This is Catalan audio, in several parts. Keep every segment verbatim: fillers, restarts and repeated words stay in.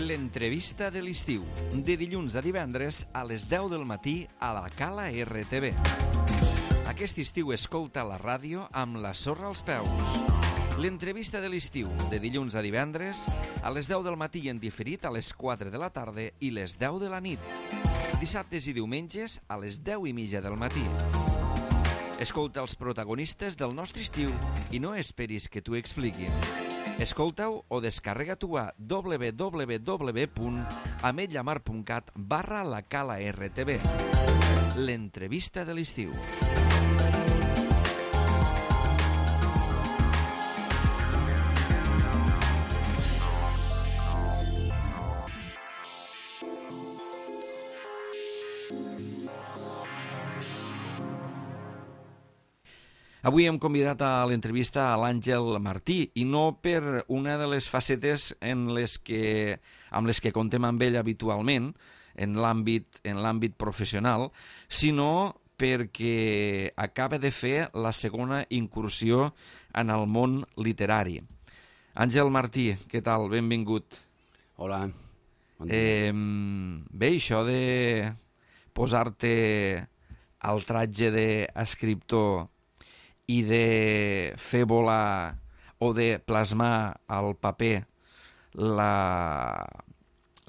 L'entrevista de l'estiu, de dilluns a divendres a les deu del matí a la Cala R T V. Aquest estiu escolta la ràdio amb la sorra als peus. L'entrevista de l'estiu, de dilluns a divendres a les deu del matí en diferit a les quatre de la tarda i les deu de la nit. Dissabtes i diumenges a les deu i mitja del matí. Escolta els protagonistes del nostre estiu i no esperis que t'ho expliquin. Escolta-ho o descarrega-t'ho a w w w punt ametlla mar punt cat barra la Cala R T V. L'entrevista de l'estiu. Avui hem convidat a l'entrevista a l'Àngel Martí, i no per una de les facetes en les que, amb les que contem amb ell habitualment, en l'àmbit en l'àmbit professional, sinó perquè acaba de fer la segona incursió en el món literari. Àngel Martí, què tal? Benvingut. Hola. Bon dia. Eh, bé, això de posar-te al tratge d'escriptor i de fer volar o de plasmar al paper la,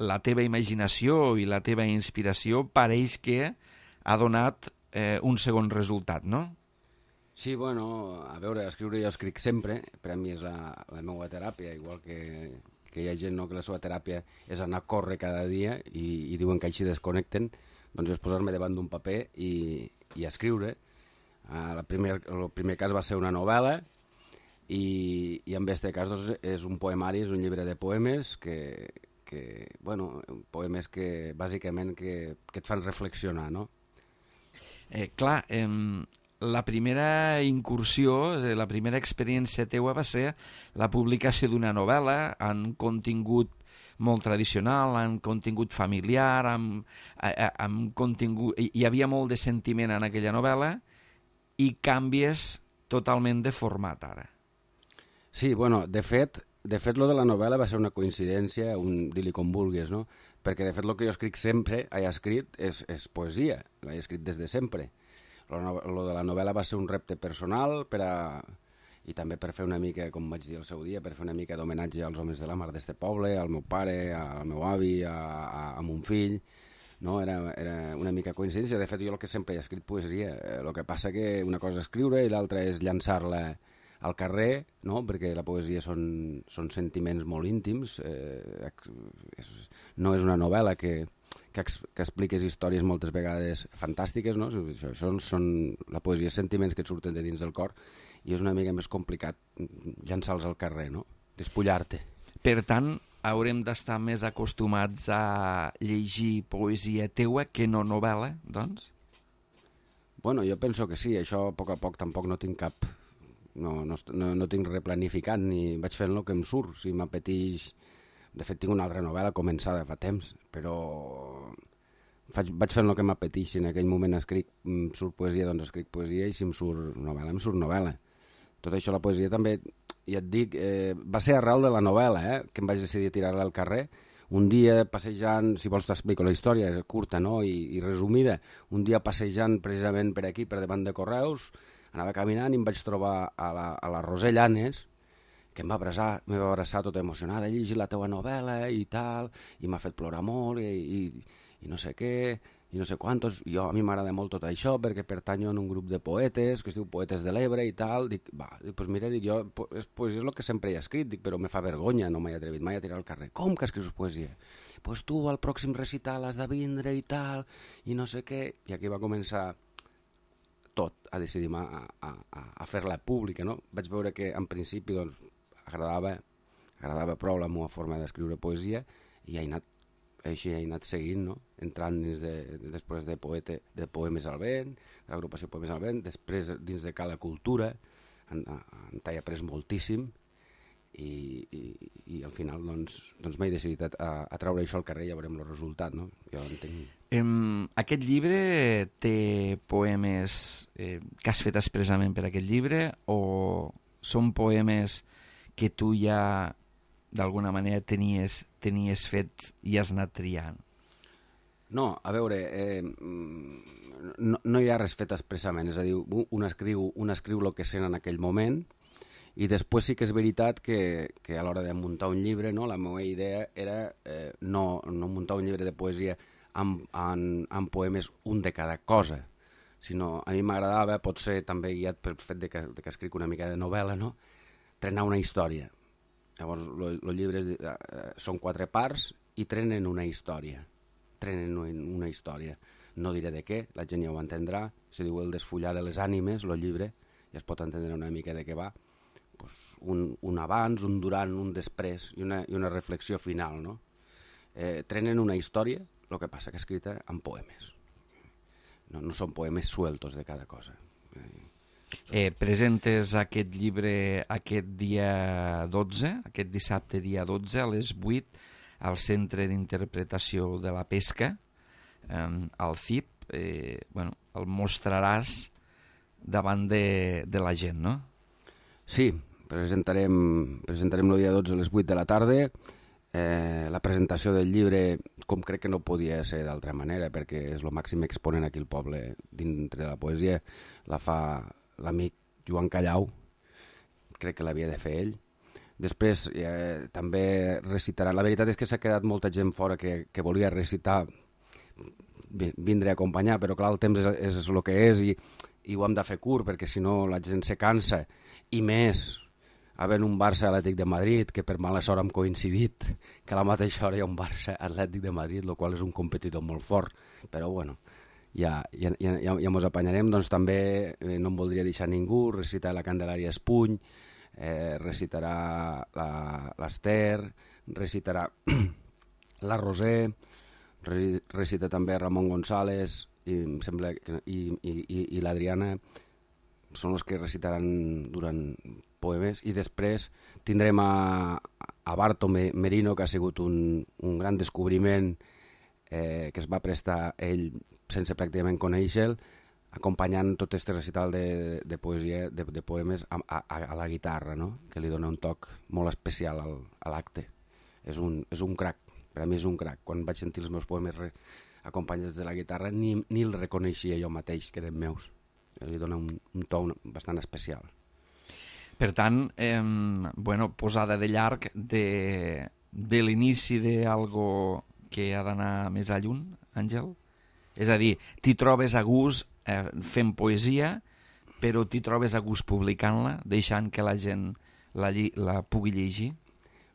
la teva imaginació i la teva inspiració, pareix que ha donat eh, un segon resultat, no? Sí, bueno, a veure, escriure jo escric sempre, per a mi és la, la meva teràpia, igual que, que hi ha gent no, que la seva teràpia és anar a córrer cada dia i, i diuen que així desconnecten, doncs és posar-me davant d'un paper i, i escriure. Uh, el, primer, el primer cas va ser una novel·la i, i en aquest cas doncs, és un poemari, és un llibre de poemes que, que bueno, poemes que bàsicament que, que et fan reflexionar, no? Eh, clar, eh, la primera incursió, la primera experiència teua va ser la publicació d'una novel·la en contingut molt tradicional, en contingut familiar, amb, amb contingut... Hi havia molt de sentiment en aquella novel·la i canvies totalment de format ara. Sí, bueno, de fet, de fet lo de la novel·la va ser una coincidència, un dir-li com vulguis, no? Perquè de fet el que jo escric sempre, he escrit, és, és poesia, l'he escrit des de sempre. Lo, lo de la novel·la va ser un repte personal per a... i també per fer una mica, com vaig dir el seu dia, per fer una mica d'homenatge als homes de la mar d'este poble, al meu pare, al meu avi, a, a, a mon fill. No, era, era una mica coincidència. De fet, jo el que sempre he escrit poesia. El que passa que una cosa és escriure i l'altra és llançar-la al carrer, no? Perquè la poesia són, són sentiments molt íntims. Eh, és, no és una novel·la que, que, ex, que expliques històries moltes vegades fantàstiques, no? Això, això són la poesia, sentiments que et surten de dins del cor, i és una mica més complicat llançar-los al carrer, no? Despullar-te. Per tant, haurem d'estar més acostumats a llegir poesia teua que no novel·la, doncs? Bueno, jo penso que sí, això a poc a poc tampoc no tinc cap... No, no, no, no tinc replanificat, ni vaig fent el que em surt. Si m'apeteix... De fet, tinc una altra novel·la començada fa temps, però faig, vaig fent el que m'apeteix. Si en aquell moment escric, em surt poesia, doncs escric poesia, i si em surt novel·la, em surt novel·la. Tot això, la poesia també... I et dic, eh, va ser arrel de la novel·la, eh, que em vaig decidir tirar-la al carrer. Un dia passejant, si vols t'explico la història, és curta, no?, I, i resumida. Un dia passejant precisament per aquí, per davant de Correus, anava caminant i em vaig trobar a la, a la Roser Llanes, que em va abraçar, em va abraçar tota emocionada, he llegit la teua novel·la i tal, i m'ha fet plorar molt, i, i, i no sé què... i no sé quantos, jo, a mi m'agrada molt tot això perquè pertanyo en un grup de poetes que es diu Poetes de l'Ebre i tal, dic, va, dic, pues mira, dic, jo, és, pues és el que sempre he escrit, dic, però me fa vergonya, no m'he atrevit mai a tirar al carrer. Com que escrius poesia? Pues tu al pròxim recital has de vindre i tal, i no sé què, i aquí va començar tot, a decidir a, a, a fer-la pública, no? Vaig veure que en principi doncs, agradava, agradava prou la meva forma d'escriure poesia, i he anat així he anat seguint, no? Entrant dins de, després de, poete, de Poemes al Vent, de l'agrupació Poemes al Vent, després dins de Cala Cultura, en, en t'he après moltíssim, i, i, i al final doncs, doncs m'he decidit a, a treure això al carrer i ja veurem el resultat, no? Jo entenc... Um, aquest llibre té poemes eh, que has fet expressament per aquest llibre, o són poemes que tu ja d'alguna manera tenies tenies fet i has anat triant? No, a veure, eh, no, no hi ha res fet expressament, és a dir, un escriu, un escriu el que sent en aquell moment, i després sí que és veritat que, que a l'hora de muntar un llibre, no, la meva idea era eh, no, no muntar un llibre de poesia amb, amb, amb poemes un de cada cosa, sinó a mi m'agradava, potser també guiat pel fet de que, de que escric una mica de novel·la, no? Trenar una història. Llavors, els llibres eh, són quatre parts i trenen una història. Trenen una història. No diré de què, la gent ja ho entendrà. Se diu El desfollar de les ànimes, el llibre, ja es pot entendre una mica de què va. Pues un, un abans, un durant, un després i una, i una reflexió final, no? Eh, trenen una història, el que passa que escrita en poemes. No, no són poemes sueltos de cada cosa. Eh, presentes aquest llibre aquest dia dotze, aquest dissabte dia dotze a les vuit al Centre d'Interpretació de la Pesca, eh, al C I P. Eh, bueno, el mostraràs davant de, de la gent, no? Sí, presentarem, presentarem el dia dotze a les vuit de la tarda. Eh, la presentació del llibre, com crec que no podia ser d'altra manera, perquè és el màxim exponent aquí al poble dintre de la poesia, la fa l'amic Joan Callau, crec que l'havia de fer ell. Després eh, també recitarà, la veritat és que s'ha quedat molta gent fora que, que volia recitar, vindre a acompanyar, però clar, el temps és, és, és el que és i, i ho hem de fer curt, perquè si no la gent se cansa, i més havent un Barça Atlètic de Madrid, que per mala sort hem coincidit, que a la mateixa hora hi ha un Barça Atlètic de Madrid, el qual és un competidor molt fort, però bueno, ja, ja, ja, ja mos apanyarem. Doncs també eh, no em voldria deixar ningú, recitar la Candelària Espuny, eh, recitarà l'Ester, recitarà la Roser, re, recita també Ramon González, i, em sembla que, i, i, i l'Adriana, són els que recitaran durant poemes, i després tindrem a, a Barto Merino, que ha sigut un, un gran descobriment eh, que es va prestar ell sense pràcticament conèixer-lo, acompanyant tot aquest recital de, de poesia, de, de poemes a, a, a la guitarra, no? Que li dona un toc molt especial al, a l'acte. És un, és un crac, per a mi és un crac. Quan vaig sentir els meus poemes re, acompanyats de la guitarra, ni, ni el reconeixia jo mateix, que eren meus. Li dona un, un to bastant especial. Per tant, eh, bueno, posada de llarg de, de l'inici d'algo que ha d'anar més a lluny, Àngel? És a dir, t'hi trobes a gust eh, fent poesia, però t'hi trobes a gust publicant-la, deixant que la gent la, la pugui llegir?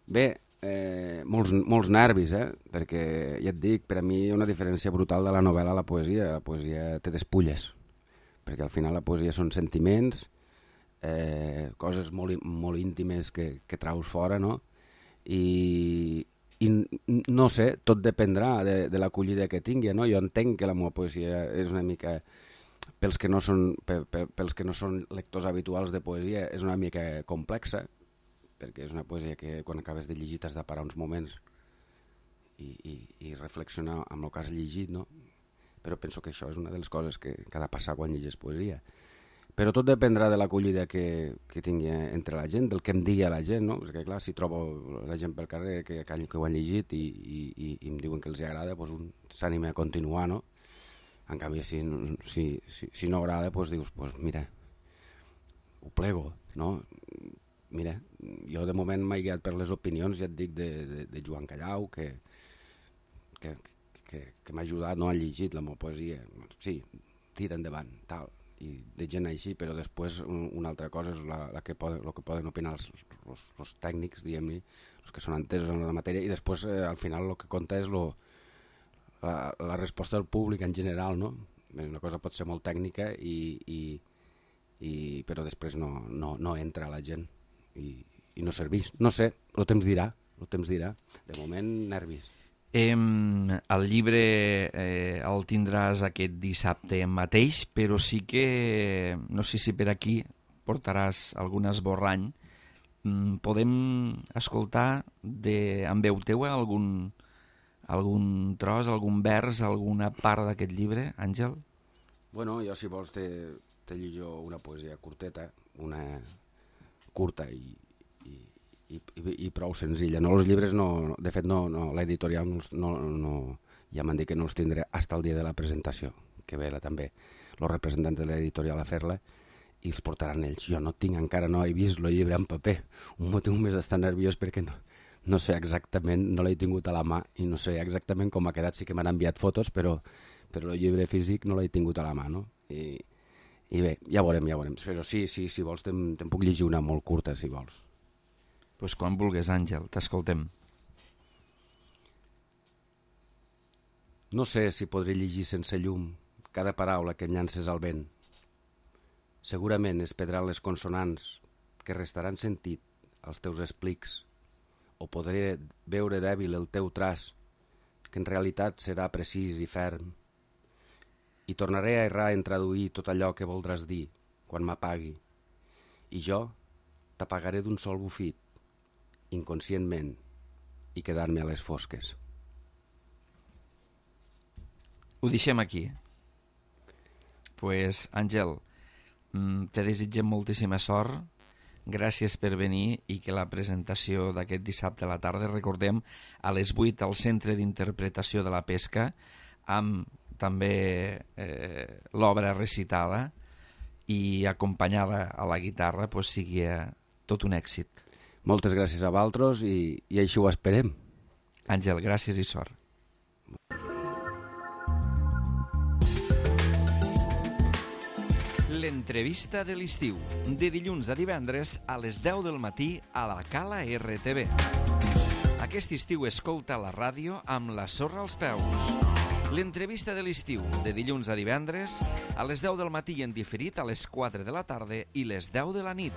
Bé, eh, molts, molts nervis, eh? Perquè, ja et dic, per a mi hi ha una diferència brutal de la novel·la a la poesia. La poesia té despulles, perquè al final la poesia són sentiments, eh, coses molt, molt íntimes que, que traus fora, no? I, i no sé, tot dependrà de, de l'acollida que tingui, no? Jo entenc que la meva poesia és una mica, pels que no són, pels que no són lectors habituals de poesia, és una mica complexa, perquè és una poesia que quan acabes de llegir t'has de parar uns moments i, i, i reflexionar amb el que has llegit, no? Però penso que això és una de les coses que, que ha de passar quan llegis poesia. Però tot dependrà de l'acollida que, que tingui entre la gent, del que em digui a la gent, no? Perquè clar, si trobo la gent pel carrer que, que ho han llegit i, i, i em diuen que els agrada, doncs un s'anima a continuar, no? En canvi, si, si, si, si no agrada, doncs dius, doncs mira, ho plego, no? Mira, jo de moment m'he guiat per les opinions, ja et dic, de, de, de Joan Callau, que, que, que, que m'ha ajudat, no ha llegit la meva poesia, sí, tira endavant, tal, i de gent així, però després un, una altra cosa és la, la que poden, el que poden opinar els, els, els tècnics, diguem-ne, els que són entesos en la matèria, i després eh, al final el que compta és lo, la, la resposta del públic en general, no? Una cosa pot ser molt tècnica, i, i, i, però després no, no, no entra a la gent i, i no serveix. No sé, el temps dirà, el temps dirà. De moment, nervis. Eh, el llibre eh, el tindràs aquest dissabte mateix, però sí que, no sé si per aquí portaràs algun esborrany. Mm, podem escoltar de, amb veu teua algun, algun tros, algun vers, alguna part d'aquest llibre, Àngel? Bueno, jo si vols te, te llijo una poesia curteta, una curta i, i, i, i, i prou senzilla. No, els llibres, no, de fet, no, no, l'editorial no, no, no, ja m'han dit que no els tindré fins al dia de la presentació, que ve també els representants de l'editorial a fer-la, i els portaran ells. Jo no tinc encara, no he vist el llibre en paper. Un motiu més d'estar nerviós perquè no, no sé exactament, no l'he tingut a la mà i no sé exactament com ha quedat. Sí que m'han enviat fotos, però, però el llibre físic no l'he tingut a la mà, no? I, i bé, ja veurem, ja veurem. Però sí, sí, si vols, te'n, te'n puc llegir una molt curta, si vols. Doncs pues quan vulguis, Àngel, t'escoltem. No sé si podré llegir sense llum cada paraula que em llances al vent. Segurament es perdran les consonants que restaran sentit als teus explics, o podré veure dèbil el teu traç, que en realitat serà precís i ferm, i tornaré a errar en traduir tot allò que voldràs dir quan m'apagui, i jo t'apagaré d'un sol bufit, inconscientment, i quedar-me a les fosques. Ho deixem aquí. Pues, Àngel, te desitgem moltíssima sort, gràcies per venir i que la presentació d'aquest dissabte a la tarda, recordem, a les vuit al Centre d'Interpretació de la Pesca, amb també eh, l'obra recitada i acompanyada a la guitarra, pues, sigui tot un èxit. Moltes gràcies a vosaltres i, i així ho esperem. Àngel, gràcies i sort. L'entrevista de l'estiu, de dilluns a divendres a les deu del matí a la Cala R T V. Aquest estiu escolta la ràdio amb la sorra als peus. L'entrevista de l'estiu, de dilluns a divendres a les deu del matí en diferit a les quatre de la tarda i les deu de la nit.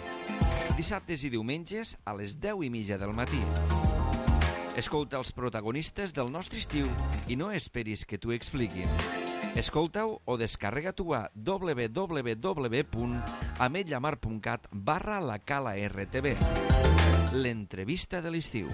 Dissabtes i diumenges a les deu i mitja del matí. Escolta els protagonistes del nostre estiu i no esperis que t'ho expliquin. Escolta-ho o descarrega-t'ho a w w w punt ametlla mar punt cat barra la Cala R T V. L'entrevista de l'estiu.